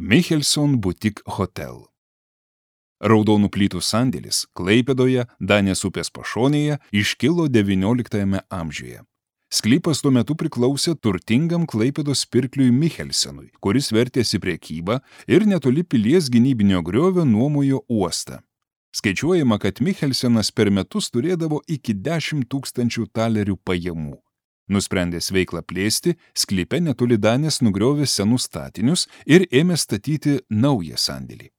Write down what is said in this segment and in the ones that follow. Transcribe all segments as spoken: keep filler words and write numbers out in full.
Michelson Boutique Hotel. Raudonų plytų sandėlis Klaipėdoje, Danės upės pašonėje, iškilo devynioliktajame amžiuje. Sklypas tuo metu priklausė turtingam Klaipėdos pirkliui Michelsenui, kuris vertėsi prekybą ir netoli pilies gynybinio griovio nuomojo uostą. Skaičiuojama, kad Michelsenas per metus turėdavo iki dešimt tūkstančių talerių pajamų. Nusprendęs veiklą plėsti, sklype netoli Danės nugriovė senus statinius ir ėmė statyti naują sandėlį.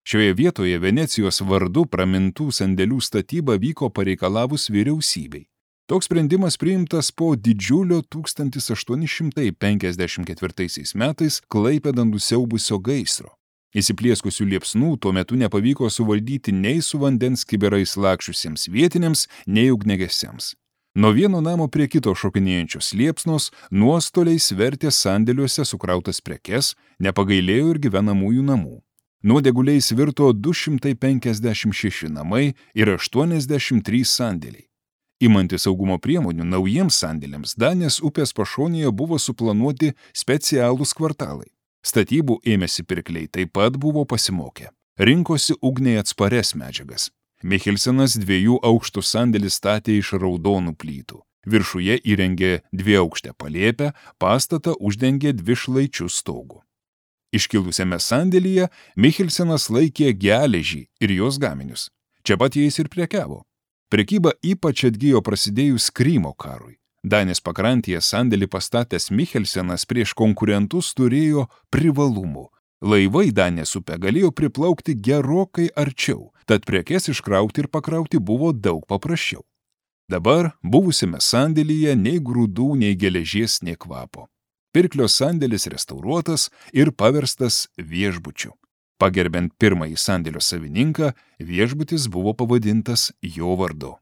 Šioje vietoje Venecijos vardu pramintų sandėlių statyba vyko pareikalavus vyriausybei. Toks sprendimas priimtas po didžiulio tūkstantis aštuoni šimtai penkiasdešimt ketvirtaisiais metais Klaipėdą nusiaubusio gaisro. Įsiplieskusių liepsnų tuo metu nepavyko suvaldyti nei su vandens kibirais lakščiusiems vietiniams, nei ugniagesiams. Nuo vieno namo prie kito šokinėjančios liepsnos nuostoliais vertė sandėliuose sukrautas prekes, nepagailėjo ir gyvenamųjų namų. Nuodeguliais virto du šimtai penkiasdešimt šeši namai ir aštuoniasdešimt trys sandėliai. Imantis saugumo priemonių naujiems sandėliams Danės upės pašonėje buvo suplanuoti specialūs kvartalai. Statybų ėmėsi pirkliai taip pat buvo pasimokę. Rinkosi ugniai atsparias medžiagas. Michelsenas dviejų aukštų sandėlį statė iš raudonų plytų. Viršuje įrengė dviaukštę palėpę, pastatą uždengė dvišlaičių stogų. Iškilusiame sandėlyje Michelsenas laikė geležį ir jos gaminius. Čia pat jais ir prekiavo. Prekyba ypač atgijo prasidėjus Krymo karui. Danės pakrantėje sandėlį pastatęs Michelsenas prieš konkurentus turėjo privalumų. Laivai Danės upę galėjo priplaukti gerokai arčiau, tad prekes iškrauti ir pakrauti buvo daug paprasčiau. Dabar buvusiame sandėlyje nei grūdų, nei geležies, nei kvapo. Pirklio sandėlis restauruotas ir paverstas viešbučiu. Pagerbiant pirmąjį sandėlio savininką, viešbutis buvo pavadintas jo vardu.